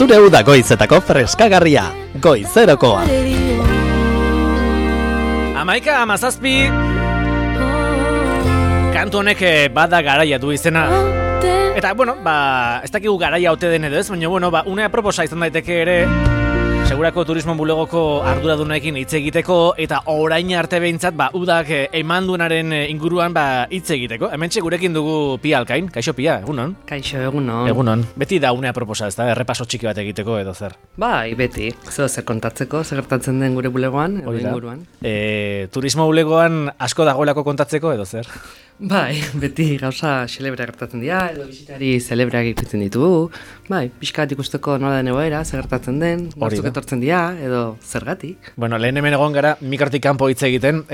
Zure uda goizetako freskagarria, Goizerokoa. 11:17 kantu honek bada garaia du izena. Eta, ez dakigu garaia ote den edo ez, baina, unea proposa izan daiteke ere, segurako turismo bulegoko arduradunekin hitz egiteko, eta orain arte behintzat, udak emanduenaren inguruan hitz egiteko. Hementxe gurekin dugu Pia Alkain. Kaixo Pia, egunon? Kaixo, egunon. Egunon. Beti da unea proposa, ez da? Errepaso txiki bat egiteko edo zer? Bai, beti. Zer kontatzeko, zer gertatzen den gure bulegoan, edo inguruan. Turismo bulegoan asko dagoelako kontatzeko edo zer? Bai, beti gauza celebra gertatzen dira, edo bisitari celebra egiten ditugu. Bai, pixkat ikusteko nola den egoera, zer gertatzen den, batzuk etortzen dira, edo zergatik. Lehen hemen egon gara, mikrotik kanpo hitz egiten,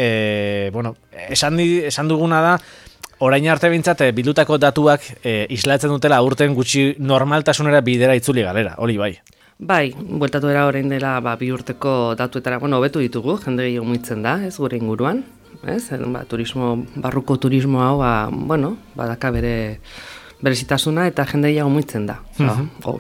esan duguna da, orain arte bintzat, bildutako datuak islatzen dutela urten gutxi normaltasunera bidera itzuli galera, hori bai. Bai, bueltatu era orain dela 2 urteko datuetara, hobetu ditugu, jende gehiago muitzen da, ez gure inguruan. Barruko turismo hau, badaka berezitasuna eta jende gehiago muitzen da.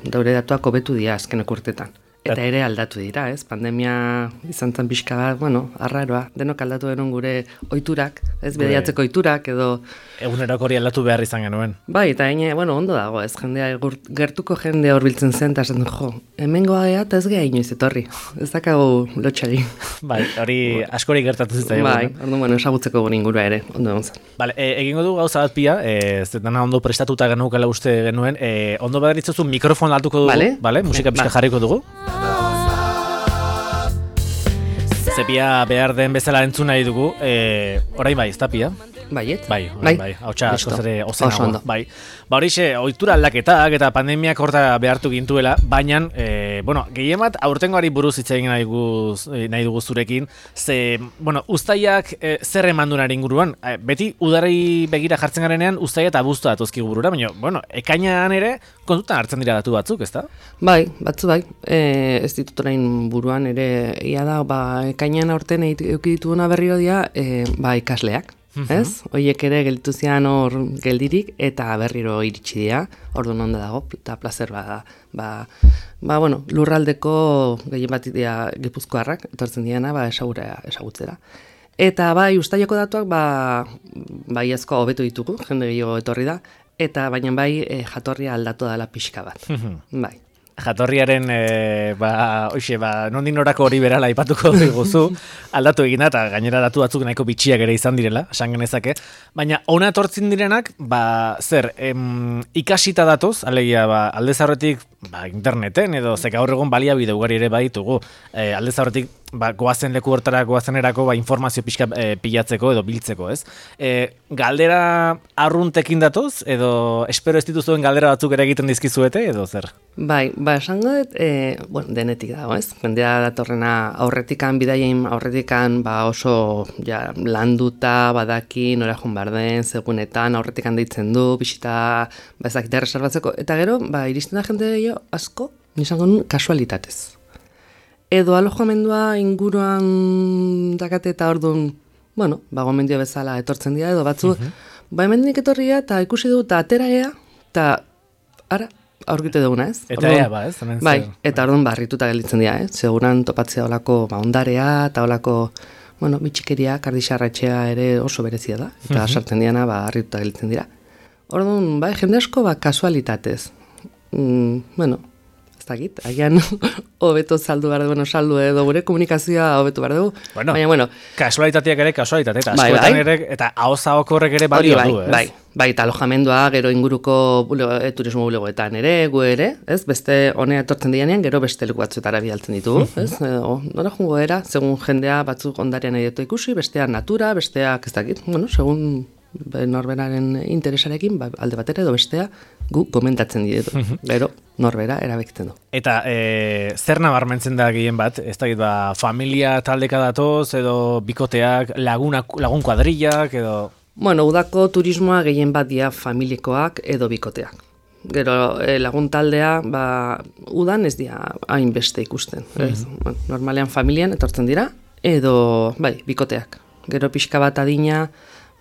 Daure datuak hobetu dira azkenek urtetan. Eta ere aldatu dira, ez? Pandemia izan zen pixka bat, arraroa, denok aldatu genuen gure ohiturak, ez? Bediatzeko ohiturak edo... Eguneroko hori aldatu behar izan genuen. Bai, eta ondo dago, ez? Gertuko jendea horbiltzen zen, eta esan hemengoa ea, eta ez geha inoiz etorri. Ez dakago lotxari. Bai, hori askori gertatu zitzaigun. Bai, orduan, esagutzeko gure ingurua ere, ondo egon zen. Bale, egingo du gauza bat Pia, dana ondo prestatuta genuukela uste genuen, ondo badaritzozu mikrofon altuko dugu, bale? Musika pixka jarriko dugu. Zepia behar den bezala entzun nahi dugu, orain bai, ez da Pia? Baiet? Bai, hautsa askoz ere ozenago. Bai. Horixe, ohitura aldaketak eta pandemiak horta behartu gintuela, baina, gehien bat aurtengoari buruz hitz egin nahi dugu zurekin, uztaiak zer emandunari inguruan, beti udarei begira jartzen garenean, uztaia eta abuztua datuzkigu burura, baina, ekainan ere, kontutan hartzen dira datu batzuk, ez da? Bai, batzu bai, ez ditut orain buruan ere, ia da, ekainan aurten eduki dituguna berriro dira, ikasleak. Ez? Oiek ere gelditu zian hor geldirik eta berriro iritsi dira, orduan onda dago, eta plazer lurraldeko gehien bat dira gipuzkoarrak, etortzen diana, esagutzera. Eta uztaiako datuak, baiezko hobetu ditugu, jende gehiago etorri da, eta baina jatorria aldatu dela pixka bat. Bai. Jatorriaren, nondik norako hori berala aipatuko diguzu, aldatu egina eta gainera datu batzuk nahiko bitxiak ere izan direla, esan genezake, baina ona etortzen direnak, ikasita datoz, alegia, aldez aurretik, interneten edo zeka gaur egon baliabide ugari ere baditugu, aldez aurretik, goazen leku hortara, goazenerako, informazio pixka pilatzeko edo biltzeko, ez? Galdera arruntekin datoz, edo espero ez dituzuen galdera batzuk ere egiten dizkizuete, edo zer? Bai, esango dut, denetik dago, ez? Jendea datorrena aurretikan, bidaien aurretikan, oso landuta, badaki, nora joan behar den, segunetan, aurretikan deitzen du, bisita, ezakite reservatzeko, eta gero, iristen da jende asko, nisango nun, kasualitatez. Edo alojamendua inguruan dakate eta orduan, gomendio bezala etortzen dira, edo batzu, hemendik etorria eta ikusi du, eta atera gea, eta ara, aurkite duguna, ez? Eta ea, ez? Bai, eta orduan barrituta gelditzen dira, ez? Seguran topatzea olako ondarea, eta olako, bitxikeria, kardixarratxea ere oso berezia da, eta sartzen diana, barrituta gelditzen dira. Orduan, jende asko, kasualitatez. Ez dakit, agian hobeto saldu behar dugu, saldu edo gure komunikazioa hobetu behar dugu. Baina, kasualitateak ere kasualitate, eta askoetan ere, eta hau horrek ere balio du, ez? Bai, eta alojamendua, gero inguruko turismo bulegoetan ere, gu ere, ez? Beste honea etortzen dianean, gero beste leku batzuetara bidaltzen ditugu, ez? Nora jungo era, segun jendea batzuk ondarean nahi dut ikusi, besteak natura, besteak, ez dakit, segun norberaren interesarekin, alde batera edo bestea, gu komentatzen ditu. Gero, norbera erabekiten du. Eta zer nabarmentzen da gehien bat? Ez dakit, familia taldeka datoz, edo bikoteak, lagun kuadrillak, edo... Udako turismoa gehien bat dia familikoak edo bikoteak. Gero, lagun taldea, udan ez dia hainbeste ikusten. Normalean familian etortzen dira, edo, bikoteak. Gero pixka bat adina,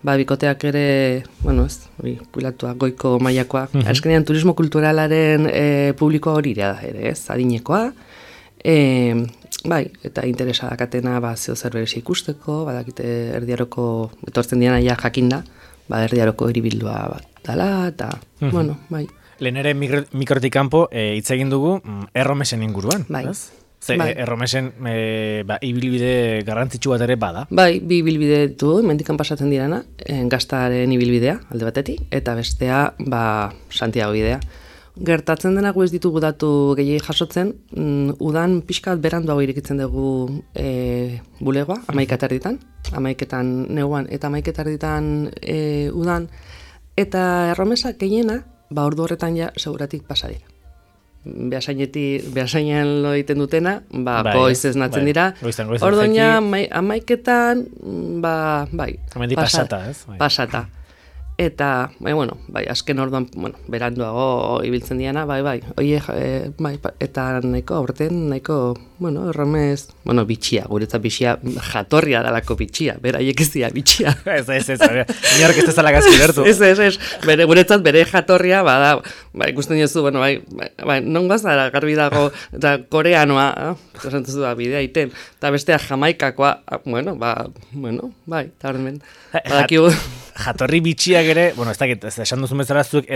bikoteak ere, bueno, ez, pilatuak goiko mailakoa. Azkenean turismo kulturalaren publikoa hori da ere, ez, adinekoa. Bai, eta interesa dakatena zeo zer berez ikusteko, badakite erdiaroko, etortzen diana ja jakinda, erdiaroko hiribildua bat dela, eta, bueno, bai. Lehen ere mikrotik kanpo hitz egin dugu erromesen inguruan, bai. Ez? Erromesen ibilbide garrantzitsu bat ere bada. Bai, bi ibilbide ditu, mendikan pasatzen dirana, Gaztaren ibilbidea, alde batetik, eta bestea, Santiago bidea. Gertatzen denak ez ditugu datu gehiagik jasotzen, udan pixkat beranduago irekitzen dugu bulegoa, 11:00, 11:00 neguan eta 11:00 udan, eta erromesak gehiena, ordu horretan ja seguratik pasa dira. Behasainan lo egiten dutena, goiz ez natzen dira. Orduan ja 11:00, pasata. Eta, azken orduan, beranduago ibiltzen diana, eta nahiko aurten, erromez, bitxia, guretzat bitxia, jatorria dalako bitxia, beraiek ez dira bitxia. Ez, inork ez dezala gazki lertu. Ez, guretzat bere jatorria, ikusten jozu, non gazara garbi dago, eta koreanoa, esantuzu da, bidea iten, eta bestea jamaikakoa, eta horren, badakigu. Jatorri bitxiak ere, ez dakit, esan duzun bezala zuek,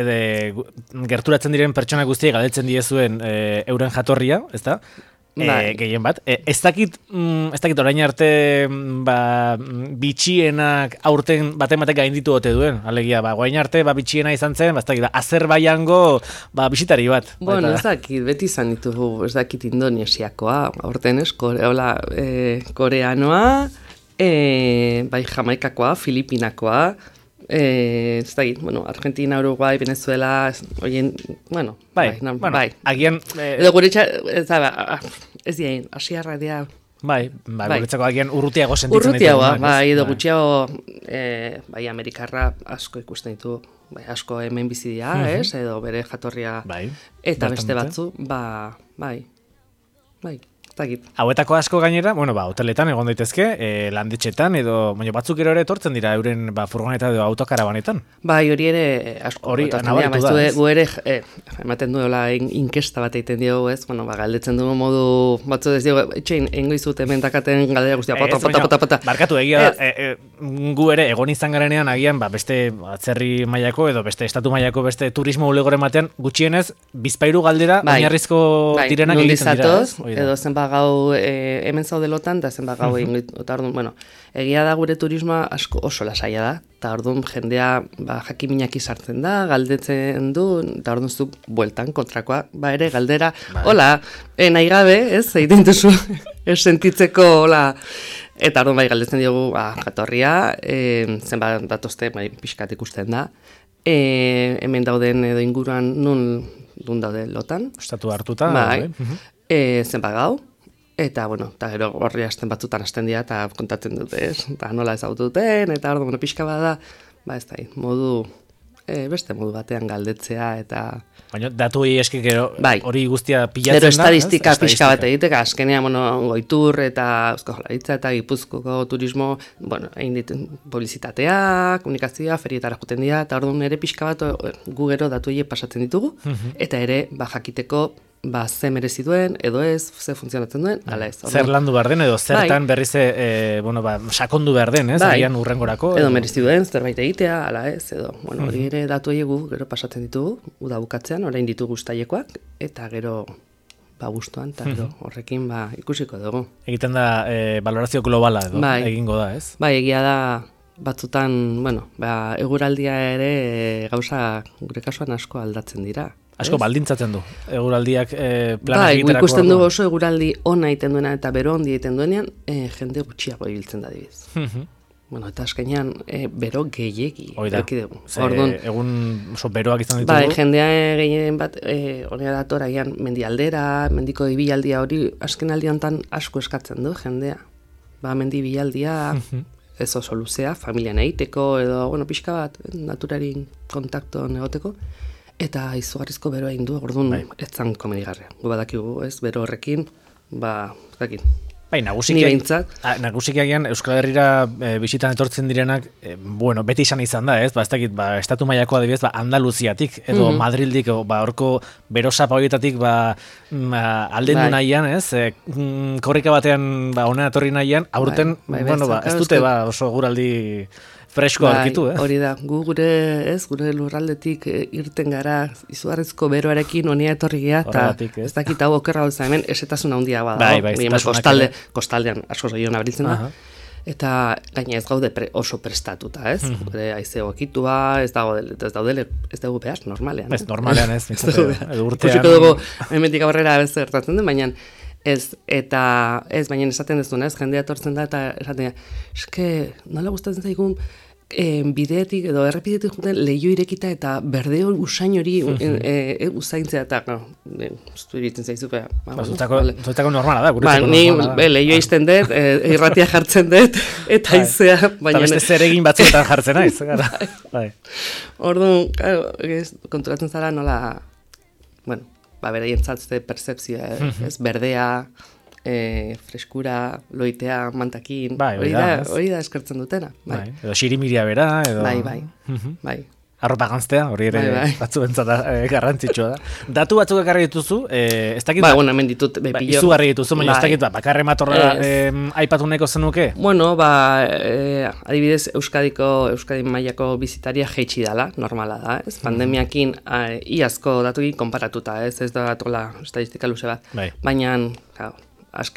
gerturatzen diren pertsona guztiek galdetzen diezuen euren jatorria, ez da? Gehien bat. Ez dakit orain arte bitxienak aurten batek gainditu ote duen, alegia, guain arte bitxiena izan zen, ez dakit, Azerbaijango bisitari bat. Bueno, ez dakit, beti izan ditugu, ez dakit Indonesiakoa, aurten ez, koreanoa, Jamaikakoa, Filipinakoa, ez da, Argentina, Uruguai, Venezuela, oien, agian... Edo guretxa, ez dien, asiarra dira... Guretzako agian urrutiago sentitzen ditu. Urrutiago, edo gutxiago, Amerikarra asko ikusten ditu, asko hemen bizi dira, edo bere jatorria, eta beste batzu, Hauetako asko gainera, hoteletan egon daitezke, landetxetan, edo batzuk ere etortzen dira euren furgoneta edo autokarabanetan. Hori ere asko etortzen dira, gu ere ematen duela inkesta bat egiten diogu, ez? Galdetzen du modu batzu ez diogu, etxein, engo izut hemen dakaten galdera guztia, pata. Barkatu, egia gu ere egon izan garenean agian beste atzerri mailako edo beste estatu mailako beste turismo ulegoren batean gutxienez bizpairu galdera oinarrizko direnak egiten dira. Edo zenba gau hemen zaudelotan, eta zenba gau egin, eta orduan, egia da gure turismoa asko oso lasaia da, eta orduan jendea jakiminak izartzen da, galdetzen du, eta orduan zu bueltan kontrakoa, ere galdera, hola, nahi gabe, ez, egiten duzu, ez sentitzeko, hola, eta orduan galdetzen diogu jatorria, zenba datozte, pixkat ikusten da, hemen dauden edo inguruan nun daude lotan. Estatu hartuta. Zenba gau. Eta, eta gero horri hasten batzutan hasten dira, eta kontatzen dute, eta nola ezagutu duten, eta ordu, pixka bada, ez da, beste modu batean galdetzea, eta... Baina, datu eski gero hori guztia pilatzen da? Gero estadistika pixka bat egiteka, azkenean, Goitur, eta Eusko Jaurlaritza, eta Gipuzkoko turismo, egin ditu publizitatea, komunikazioa, ferietara juten dira, eta orduan ere pixka bat gu gero datu pasatzen ditugu, eta ere, jakiteko, ze merezi duen, edo ez, ze funtzionatzen duen, ala ez. Zer landu behar den, edo zertan berriz sakondu behar den, ez? Agian urrengorako. Edo merezi duen, zerbait egitea, ala ez, edo, hori ere datu egu, gero pasatzen ditugu, uda bukatzean, orain ditugu guztaiekoak, eta gero, gustuan, eta gero horrekin, ikusiko dugu. Egiten da, valorazio globala, edo, egingo da, ez? Egia da, batzutan, eguraldia ere gauza gure kasuan asko aldatzen dira. Asko baldintzatzen du, eguraldiak planak egiterako. Ikusten du oso eguraldi ona egiten duena eta bero ondi egiten duenean, jende gutxiago ibiltzen da dibiz. Eta azkenean bero gehiegi. Oida, egun oso beroak izan ditugu. Jendea gehien bat, honera datora gian mendialdera, mendiko ibilaldia hori azken aldiantan asko eskatzen du jendea. Mendi ibilaldia, ez oso luzea, familian egiteko edo, pixka bat, naturarin kontakto negoteko. Eta izugarrizko beroa egin du, orduan ez zan komenigarria. Gu badakigu, ez, bero horrekin, Bai, nagusiki agian Euskal Herrira bisitan etortzen direnak, bueno, beti izan da, ez? Ez dakit, estatu mailako adibidez, Andaluziatik edo Madrildik, horko berosapa horietatik aldendu nahian, ez? Korrika batean hona etorri nahian, aurten, bueno, ez dute oso guraldi fresko aurkitu, Hori da, gure lurraldetik irten gara izugarrizko beroarekin honea etorri gea, eta ez dakit hau okerra hau hemen esetasun handia bada. Kostaldean asko zailona beriltzen da. Eta gaina ez gaude oso prestatuta, ez? Gure haize egokitua, ez dugu behar, normalean. Ez, normalean ez. Kusiko dugu, hemendik aurrera ez gertatzen den, baina baina esaten ez duen, ez? Jendea etortzen da, eta esaten da, eske, nola gustatzen zaigun, bideetik edo errepidetik juten lehio irekita eta berdeo usain hori usaintzea eta ustu iritzen zaizu Zutako normala da, guretzako normala da. Ni lehio izten dut, irratia jartzen dut eta izea eta beste zer egin batzuetan jartzen naiz. Orduan, konturatzen zara nola beraientzat percepzioa, ez, berdea, freskura, loitea, mantakin, hori da eskertzen dutena. Edo xirimiria bera, edo... Bai. Arropa ganztea, hori ere batzuentzat garrantzitsua da. Datu batzuk ekarri dituzu, ez dakit... hemen ditut... Izugarri dituzu, baina ez dakit, bakarre matorra aipatu nahiko zenuke? Bueno, adibidez, Euskadi mailako bizitaria jeitsi dala, normala da, ez? Pandemiakin iazko datukin konparatuta, ez da datola estadistika luze bat. Baina,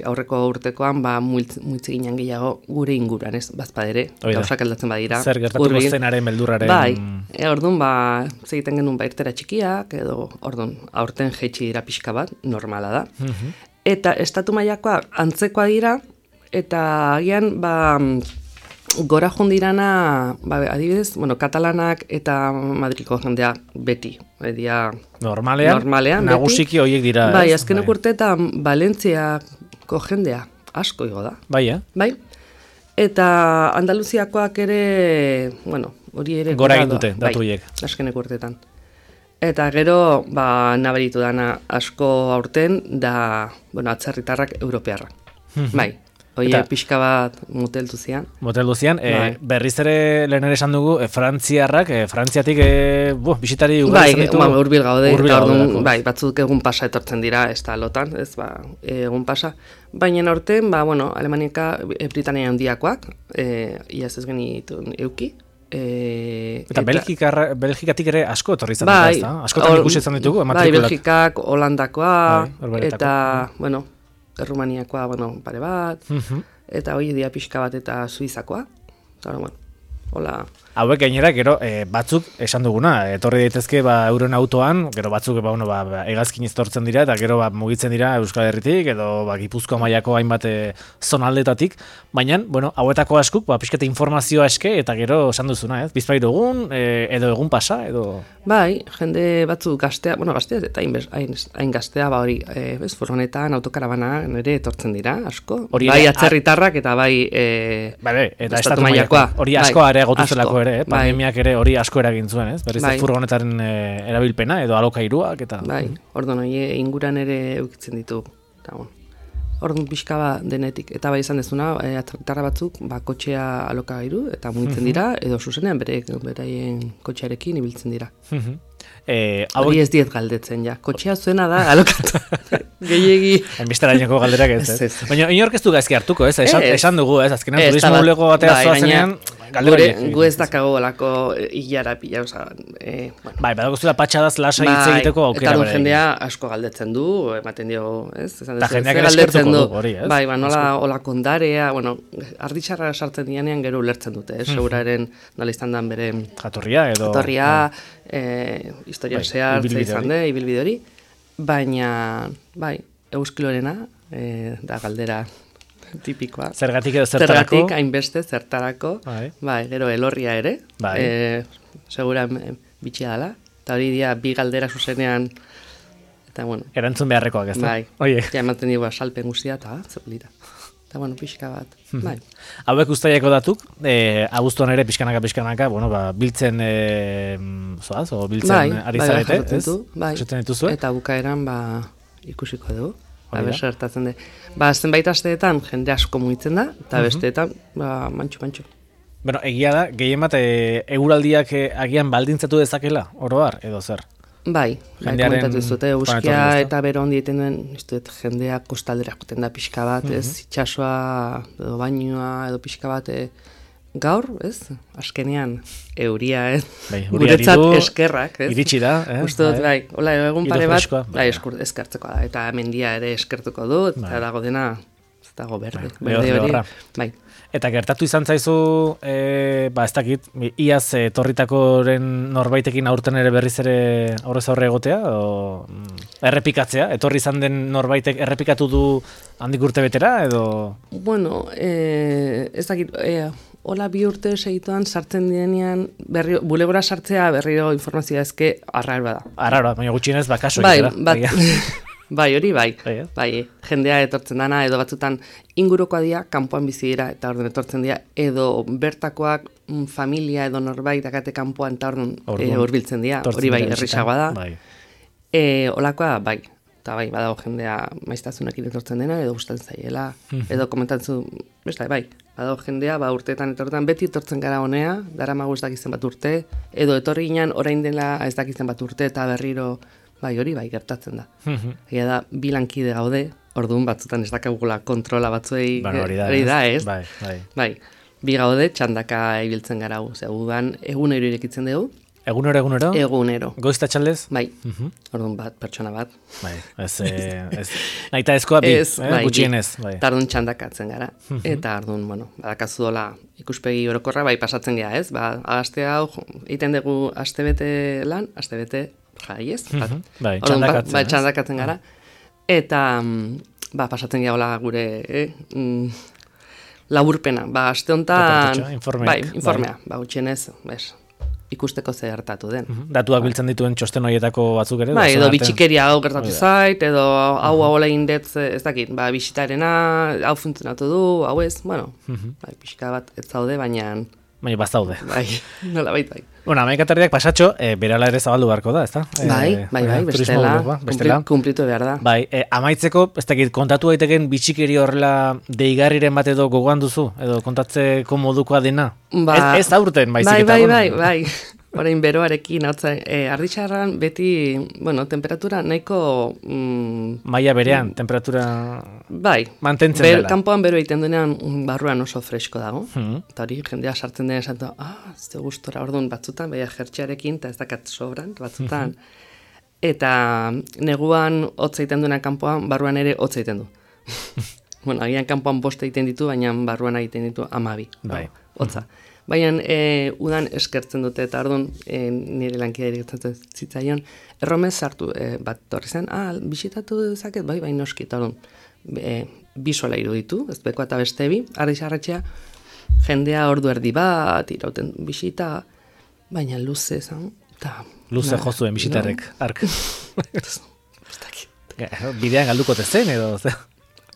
aurreko urtekoan multze ginen gehiago gure inguruan, ez, bazpadere, gauzak aldatzen badira. Zer gertatuko zenaren, beldurraren... Orduan, zegiten genuen irtera txikiak, edo, orduan, aurten jeitsi dira pixka bat, normala da. Eta estatu mailakoak antzekoa dira, eta agian, gora jondirana, adibidez, katalanak eta Madriko jendea beti. Normalean, nagusiki horiek dira. Azkenek urteetan Valentziako jendea asko igo da. Bai. Eta Andaluziakoak ere, hori ere... Gora egin dute, datu horiek. Azkenek urteetan. Eta gero, nabaritu dana asko aurten, da, atzerritarrak europearrak. Bai. Oie, pixka bat moteldu zian. Berriz ere lehen ere esan dugu, Frantziatik bisitari ugatzen ditu. Urbil gaude, batzuk egun pasa etortzen dira, ez da lotan, ez egun pasa. Baina aurten, Alemaniaka Britania handiakoak, iaz ez genitun euki. Eta Belgikatik ere asko etorri izan dira, ez da? Askotan ikusetzen ditugu, matrikulak. Belgikak, Holandakoa, eta, Errumaniakoa, pare bat, eta hori dia pixka bat eta Suizakoa. Hola. Hauek gainera, gero, batzuk esan duguna, etorri daitezke euren autoan, gero batzuk hegazkin iztortzen dira, eta gero mugitzen dira Euskal Herritik, edo Gipuzkoa mailako hainbat zonaldetatik, baina, hauetako askuk, pixkete informazioa eske, eta gero esan duzuna, ez? Bizpairu egun, edo egun pasa, edo... Bai, jende batzuk gaztea, gaztea eta hain gaztea, hori, furgonetan, autokarabana, nire etortzen dira, asko. Bai, atzerritarrak, eta bai, eta estatu mailakoa. Hori asko areagotu zelako ere, pandemiak ere hori asko eragin zuen, ez? Berriz furgonetaren erabilpena, edo alokairuak, eta... Bai, orduan, inguran ere eukitzen ditu, eta orduan pixka denetik. Eta bai izan dezuna, atzerritarra batzuk, kotxea alokairu, eta mugitzen dira, edo zuzenean beraien kotxearekin ibiltzen dira. Hori ez diet galdetzen, kotxea zuena da, alokatu. Gehiegi. Enbisteraineko galderak ez. Baina, inork ez du gaizki hartuko, ez? Esan dugu, ez? Azkenean, turismo bulego batea zoazenean, galdera. Gu ez dakago olako hilara pila, oza... Bai, badagozula patxadaz lasa hitz egiteko aukera bera. Eta jendea asko galdetzen du, ematen dio, ez? Eta jendeak ere eskertuko du, hori, ez? Bai, nola olakondarea, arditxarra sartzen dianean gero ulertzen dute, ez? Seguraren nola izan dan bere... Jatorria, edo... Historia zehar izan de, ibilbide hori, baina, euskilorena, da galdera tipikoa. Zergatik edo zertarako? Zergatik, hainbeste, zertarako, gero elorria ere, segura bitxia dela, eta hori dia bi galdera zuzenean, eta erantzun beharrekoak ez da? Ematen dugu salpen guztia, eta zepolita. Eta, pixka bat, Hauek ustaiako datuk, abuztuan ere pixkanaka, biltzen, biltzen ari zarete, ez? Eta bukaeran, ikusiko dugu. Abes gertatzen de. Zenbait asteetan jende asko mugitzen da, eta besteetan, mantxu. Bueno, egia da, gehien bat eguraldiak agian baldintzatu dezakela, oro har, edo zer? Bai, komentatu zute, euskia eta bero hondi egiten duen, jendea kostaldera joten da pixka bat, ez? Itxasoa, edo bainua, edo pixka bat, gaur, ez? Azkenean, euria, ez? Guretzat eskerrak, ez? Iritsi da, Uste dut, bai, hola, egun pare bat, bai, eskertzeko da, eta mendia ere eskertuko dut, eta dago dena, ez dago berde hori, bai. Eta gertatu izan zaizu, ez dakit, iaz etorritakoren norbaitekin aurten ere berriz ere aurrez aurre egotea, o errepikatzea? Etorri izan den norbaitek errepikatu du handik urte betera, edo? Bueno, ez dakit, hola 2 urte segituan sartzen direnean, bulegora sartzea berriro informazioa ezke arraroa da. Arraroa, baina gutxienez bakaso Bai, hori bai, jendea etortzen dana, edo batzutan ingurukoa dira, kanpoan bizi dira, eta orduan etortzen dira, edo bertakoak familia edo norbait dakate kanpoan, eta orduan hurbiltzen dira, hori bai, errisagoa da. Olakoa, bai, eta bai, badago jendea maiztasunekin etortzen dena, edo gustatzen zaiela, edo komentatzu, bai, badago jendea, urteetan etortzen, beti etortzen gara honea, daramagu ez dakizen bat urte, edo etorri ginen orain dela ez dakizen bat urte, eta berriro, bai, hori bai, gertatzen da. Egia da, 2 lankide gaude, orduan batzutan ez dakagula kontrola batzuei, hori da, ez? Bai, 2 gaude, txandaka ibiltzen gara gu, zegudan, egunero irekitzen dugu. Egunero? Egunero. Goizta txaldez? Bai, orduan pertsona bat. Bai, nahita ezkoa bi, gutxienez. Eta orduan txandakatzen gara. Eta orduan, badakazu dola ikuspegi orokorra, bai, pasatzen gara, ez? Aste hau, egiten dugu astebete lan, astebete jai, ez? Bai, txandakatzen gara. Eta, pasatzen gara gure laburpena. Aste honetan, informea. Gutxienez, ikusteko ze gertatu den. Datuak biltzen dituen txosten horietako batzuk ere? Bai, edo bitxikeria hau gertatu zait, edo hau egin dut, ez dakit, bisitarena, hau funtzionatu du, hau ez, pixka bat ez zaude, baina bazaude. Bai, nola bai. Bueno, amaikatarriak pasatxo, berala ere zabaldu beharko da, ezta? Bai, bestela, kumplitu behar da. Bai, amaitzeko, ez dakit, kontatu daiteken bitxikeri horrela deigarriren bat edo gogoan duzu? Edo kontatzeko modukoa dena? Ez aurten, baizik eta. Bai. Orain beroarekin, arditxarran beti, temperatura nahiko... Maila berean, temperatura... Bai, mantentzen dela. Kanpoan bero egiten duenean barruan oso fresko dago. Eta hori jendea sartzen dena esan, ez gustora, orduan batzutan, baina jertxearekin, eta ez dakat sobran, batzutan. Eta neguan hotz egiten duena kanpoan, barruan ere hotz egiten du. Agian kanpoan 5 egiten ditu, baina barruan egiten ditu 12. Bai. Hotza. Baina udan eskertzen dute, eta orduan nire lankidea gertatzen zitzaion, erromez sartu bat torri zen, bisitatu dezaket, bai noski, eta orduan, 2 sola iruditu, ez bekoa eta beste bi, ardixarratxea, jendea ordu erdi bat, irauten bisita, baina luze zen, eta... Luze jozuen bisitarrek, ark. Bidean galduko tezen, edo?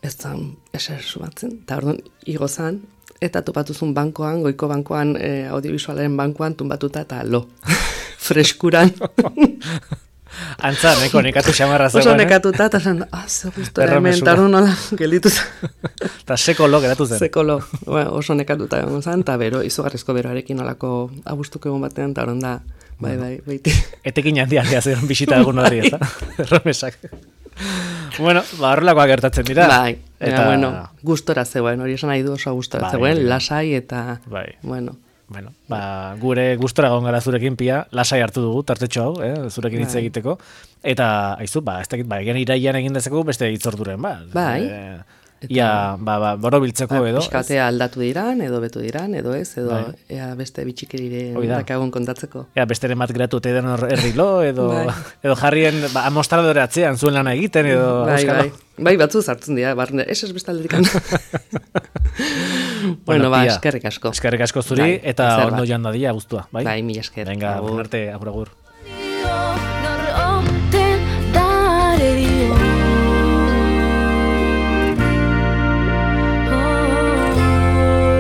Ez zan, eser sumatzen, eta orduan, igo zan, eta topatuzun bankoan, goiko bankoan, audiovisualaren bankoan, tumbatuta eta lo. Freskuran. Antza, nekatu xamarra zegoen. Oso nekatuta, eta zen, ze gustora hemen, taru nola, gelitu zen. Eta seko lo geratu zen. Seko lo, oso nekatuta egon zen, eta izugarrizko beroarekin olako abustuko egon batean, eta horon da, bai, Etekin handia zen bisita egun hori, ez da? Erromesak. Bueno, horrelakoak gertatzen dira. Bai, eta gustora zegoen, hori esan nahi du oso gustora zegoen, lasai eta, bueno, gure gustora egon gara zurekin pia, lasai hartu dugu, tartetxo hau, zurekin hitz egiteko, eta, aizu, ez dakit, egan iraian egin dezeko beste hitzorduren, Bai. Ia, borobiltzeko edo. Piskatea aldatu diran, edo betu diran, edo ez, edo beste bitxikirire dakagun kontatzeko. Besteren bat geratu eta edan errilo, edo jarrien amostradore atzean zuen lana egiten, edo euskalo. Bai, batzu zartzen dira, barne, ez bestalderik. Bueno, eskerrik asko. Eskerrik asko zuri, eta ondo joan dadia guztua, bai? Bai, mila esker. Venga, arte, agur.